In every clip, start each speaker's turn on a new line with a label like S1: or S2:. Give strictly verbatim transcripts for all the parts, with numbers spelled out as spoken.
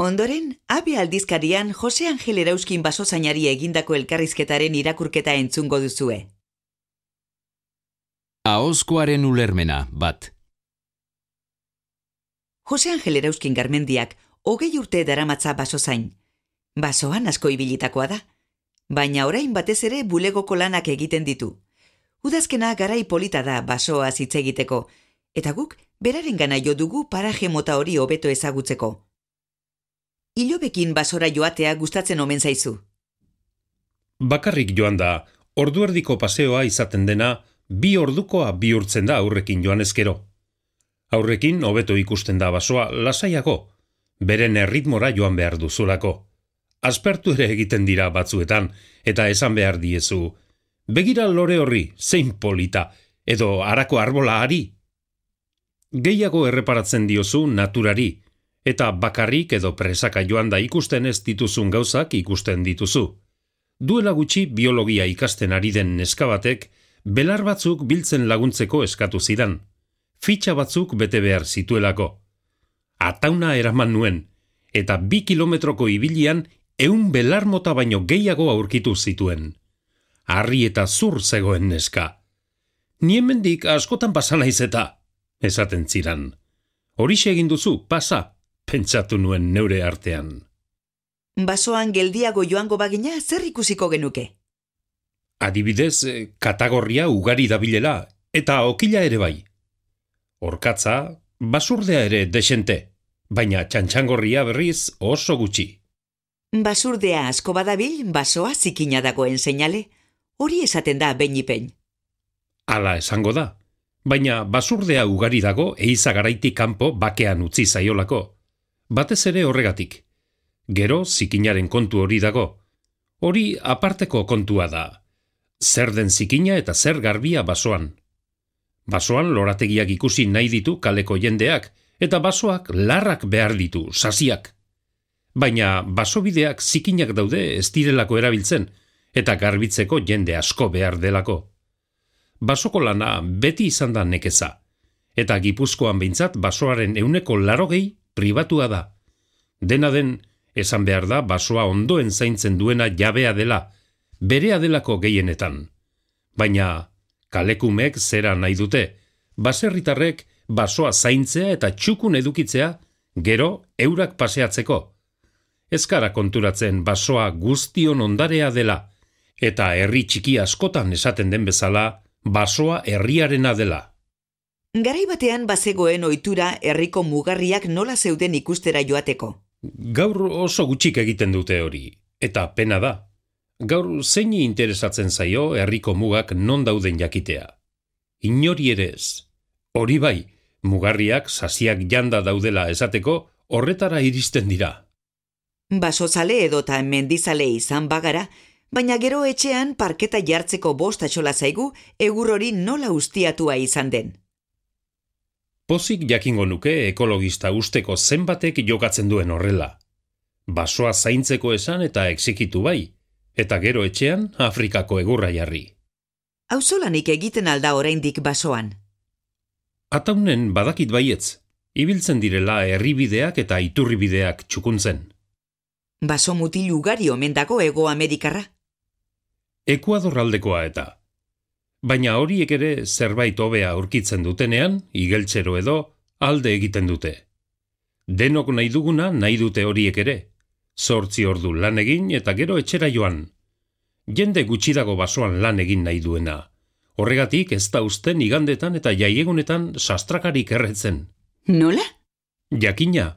S1: Ondoren, Abe aldizkarian Jose Angel Erauzkin basozainari egindako elkarrizketaren irakurketa entzungo duzue.
S2: Ahozkoaren ulermena, bat.
S1: Jose Angel Erauzkin Garmendiak hogei urte daramatza basozain. Basoan asko ibilitakoa da, baina orain batez ere bulegoko lanak egiten ditu. Udazkena garai polita da basoa hitz egiteko, eta guk berarengana jo dugu paraje mota hori hobeto ezagutzeko. Ilobekin basora joatea gustatzen omen zaizu.
S3: Bakarrik joan da, ordu erdiko paseoa izaten dena, bi ordukoa bihurtzen da aurrekin joan ezkero. Aurrekin hobeto ikusten da basoa lasaiago, beren erritmora joan behar duzulako. Aspertu ere egiten dira batzuetan, eta esan behar diezu, begira lore horri, zein polita, edo harako arbola ari. Gehiago erreparatzen diozu naturari, eta bakarrik edo presaka joan da ikusten ez dituzun gauzak ikusten dituzu. Duela gutxi biologia ikasten ari den neska batek, belar batzuk biltzen laguntzeko eskatu zidan. Fitxa batzuk bete behar zituelako. Atauna eraman nuen, eta bi kilometroko ibilian ehun belar mota baino gehiago aurkitu zituen. Harri eta zur zegoen neska. Ni hemendik askotan pasa naiz eta, esaten ziran. Horixe egin duzu, pasa, pentsatu nuen neure artean.
S1: Basoan geldiago joango bagina zer ikusiko genuke?
S3: Adibidez, katagorria ugari dabilela, eta okila ere bai. Orkatza, basurdea ere desente, baina txantxangorria berriz oso gutxi.
S1: Basurdea asko badabil, basoa zikina dagoen seinale, hori esaten da behin-ipein.
S3: Hala esango da, baina basurdea ugari dago eiza garaitik kanpo bakean utzi zaiolako. Batez ere horregatik. Gero zikinaren kontu hori dago. Hori aparteko kontua da. Zer den zikina eta zer garbia basoan. Basoan lorategiak ikusi nahi ditu kaleko jendeak, eta basoak larrak behar ditu, sasiak. Baina basobideak zikinak daude ez direlako erabiltzen, eta garbitzeko jende asko behar delako. Basoko lana beti izan da nekeza, eta Gipuzkoan behintzat basoaren euneko larogei pribatua da. Dena den, esan behar da basoa ondoen zaintzen duena jabea dela, berea delako gehienetan. Baina, kalekumek zera nahi dute, baserritarrek basoa zaintzea eta txukun edukitzea, gero eurak paseatzeko. Ezkara konturatzen basoa guztion ondarea dela, eta herri txiki askotan esaten den bezala, basoa herriarena dela.
S1: Garai batean bazegoen ohitura herriko mugarriak nola zeuden ikustera joateko.
S3: Gaur oso gutxik egiten dute hori, eta pena da. Gaur zeini interesatzen zaio herriko mugak non dauden jakitea. Inori ere ez. Hori bai, mugarriak sasiak janda daudela esateko horretara iristen dira.
S1: Basozale edota mendizale izan bagara, baina gero etxean parketa jartzeko bost atxola zaigu egur hori nola ustiatua izan den.
S3: Pozik jakingo nuke ekologista usteko zenbatek jokatzen duen horrela. Basoa zaintzeko esan eta exikitu bai, eta gero etxean Afrikako egurra jarri.
S1: Auzolanik egiten alda oraindik basoan.
S3: Ataunen badakit baietz, ibiltzen direla herribideak eta iturribideak txukuntzen.
S1: Baso mutil ugari omen dago Hego Amerikarra.
S3: Ekuador aldekoa eta. Baina horiek ere zerbait hobea aurkitzen dutenean, igeltzero edo, alde egiten dute. Denok nahi duguna nahi dute horiek ere. Zortzi ordu lan egin eta gero etxera joan. Jende gutxi dago basoan lan egin nahi duena. Horregatik ez da uzten igandetan eta jaiegunetan sastrakarik erretzen.
S1: Nola?
S3: Jakina,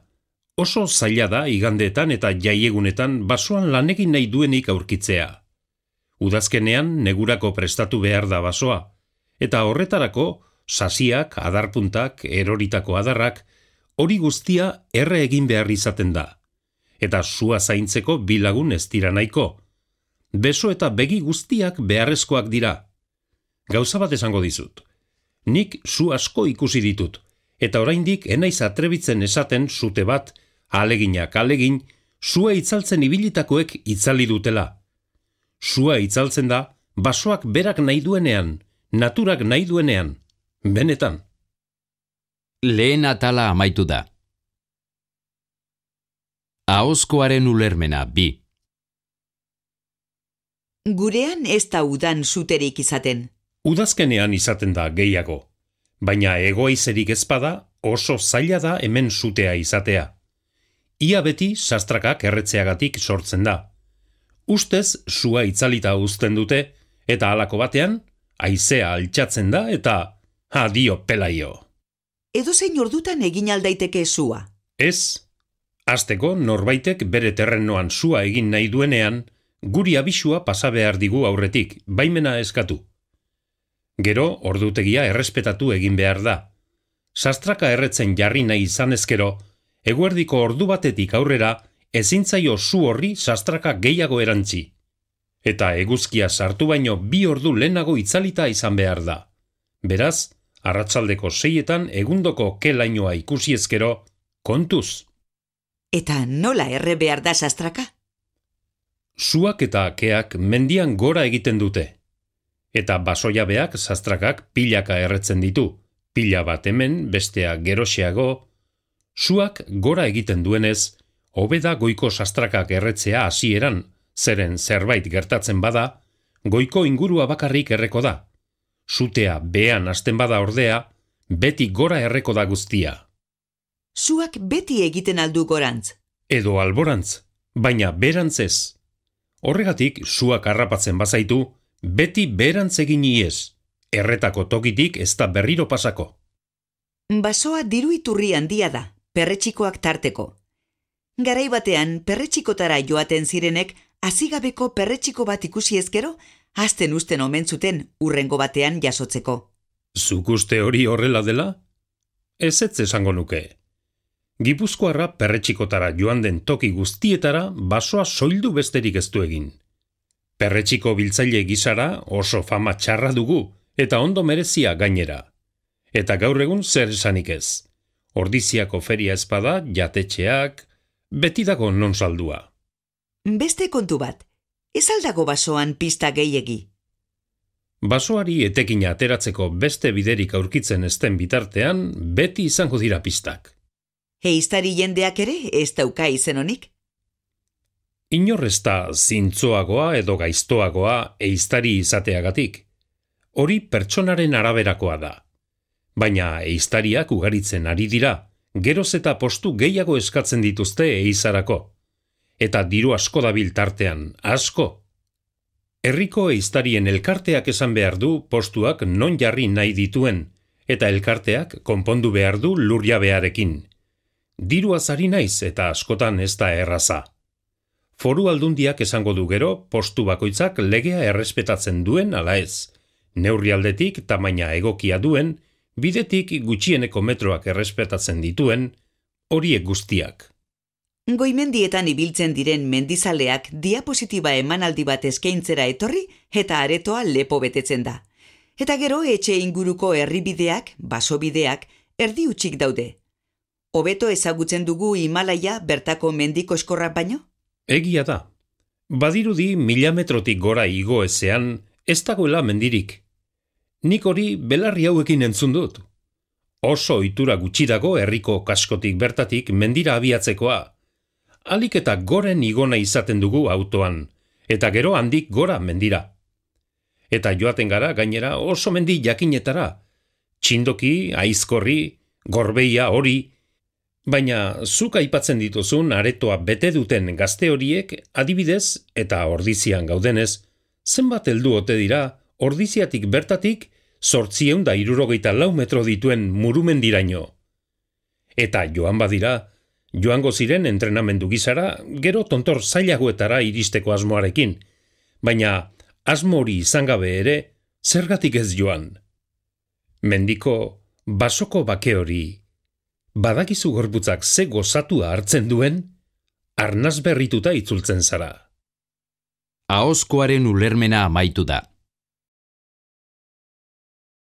S3: oso zaila da igandetan eta jaiegunetan basoan lan egin nahi duenik aurkitzea. Udazkenean negurako prestatu behar da basoa, eta horretarako sasiak, adarpuntak, eroritako adarrak, hori guztia erre egin behar izaten da. Eta sua zaintzeko bilagun ez dira nahiko. Beso eta begi guztiak beharrezkoak dira. Gauza bat esango dizut. Nik su asko ikusi ditut, eta oraindik enaiz atrebitzen esaten sute bat, aleginak alegin, sua itzaltzen ibilitakoek itzali dutela. Sua itzaltzen da, basoak berak nahi duenean, naturak nahi duenean, benetan.
S2: Lehen atala amaitu da. Ahozkoaren ulermena bi.
S1: Gurean ez da udan zuterik izaten.
S3: Udazkenean izaten da gehiago, baina egoaizerik ezpada oso zaila da hemen sutea izatea. Ia beti sastrakak erretzeagatik sortzen da. Ustez sua itzalita uzten dute eta halako batean haizea altxatzen da eta adio pelaio.
S1: Edozein ordutan egin aldaiteke sua.
S3: Ez, hasteko norbaitek bere terrenoan sua egin nahi duenean, guri abisua pasa behar digu aurretik, baimena eskatu. Gero, ordutegia errespetatu egin behar da. Sastraka erretzen jarri nahi izan ezkero, eguerdiko ordu batetik aurrera ezintzaio su horri sastraka gehiago erantzi. Eta eguzkia sartu baino bi ordu lehenago itzalita izan behar da. Beraz, arratsaldeko seietan egundoko ke lainoa ikusi ezkero, kontuz.
S1: Eta nola erre behar da sastraka?
S3: Suak eta keak mendian gora egiten dute. Eta basojabeak sastrakak pilaka erretzen ditu. Pila bat hemen, bestea geroxeago. Suak gora egiten duenez, hobeda goiko sastrakak erretzea hasieran, zeren zerbait gertatzen bada, goiko ingurua bakarrik erreko da. Sutea behean hasten bada ordea, beti gora erreko da guztia.
S1: Suak beti egiten aldu gorantz.
S3: Edo alborantz, baina berantz ez. Horregatik, suak harrapatzen bazaitu, beti berantz egin iez. Erretako tokitik ez da berriro pasako.
S1: Basoa diru iturri handia da, perretxikoak tarteko. Garai batean, perretxikotara joaten zirenek, hazigabeko perretxiko bat ikusi ezkero, hasten usten omen zuten urrengo batean jasotzeko.
S3: Zuk uste hori horrela dela? Ez ez esango nuke. Gipuzkoarra perretxikotara joan den toki guztietara basoa soildu besterik ez du egin. Perretxiko biltzaile gisara oso fama txarra dugu eta ondo merezia gainera. Eta gaur egun zer esanik ez. Ordiziako feria ezpada, jatetxeak, beti dago non saldua.
S1: Beste kontu bat, ez aldago basoan pista gehiegi.
S3: Basoari etekina ateratzeko beste biderik aurkitzen ezten bitartean, beti izango dira pistak.
S1: Ehiztari jendeak ere ez dauka izen honik?
S3: Inor ez da zintzoagoa edo gaiztoagoa ehiztari izateagatik. Hori pertsonaren araberakoa da. Baina ehiztariak ugaritzen ari dira, geroz eta postu gehiago eskatzen dituzte ehizarako. Eta diru asko dabil tartean, asko. Herriko ehiztarien elkarteak esan behar du postuak non jarri nahi dituen, eta elkarteak konpondu behar du lurjabearekin. Diruaz ari naiz eta askotan ez da erraza. Foru aldundiak esango du gero, postu bakoitzak legea errespetatzen duen ala ez. Neurri aldetik tamaina egokia duen, bidetik gutxieneko metroak errespetatzen dituen, horiek guztiak.
S1: Goimendietan ibiltzen diren mendizaleak diapositiba emanaldi bat eskaintzera etorri eta aretoa lepo betetzen da. Eta gero etxe inguruko herribideak, basobideak, erdi utxik daude. Hobeto ezagutzen dugu Himalaia bertako mendiko eskorrak baino?
S3: Egia da. Badirudi mila metrotik gora igo ezean ez dagoela mendirik. Nik hori belarri hauekin entzun dut. Oso ohitura gutxi dago herriko kaskotik bertatik mendira abiatzekoa. Alik eta goren igona izaten dugu autoan, eta gero handik gora mendira. Eta joaten gara gainera oso mendi jakinetara. Txindoki, aizkorri, gorbeia hori, baina zuk aipatzen dituzun aretoa bete duten gazte horiek adibidez eta ordizian gaudenez, zenbat heldu ote dira ordiziatik bertatik zortziehun da hirurogeita lau metro dituen murumendiraino. Eta joan badira, joango ziren entrenamendu gizara, gero tontor zailagoetara iristeko asmoarekin, baina asmo hori izan gabe ere, zergatik ez joan. Mendiko, basoko bake hori, badakizu gorputzak ze gozatua hartzen duen, arnaz berrituta itzultzen zara.
S2: Ahozkoaren ulermena amaitu da.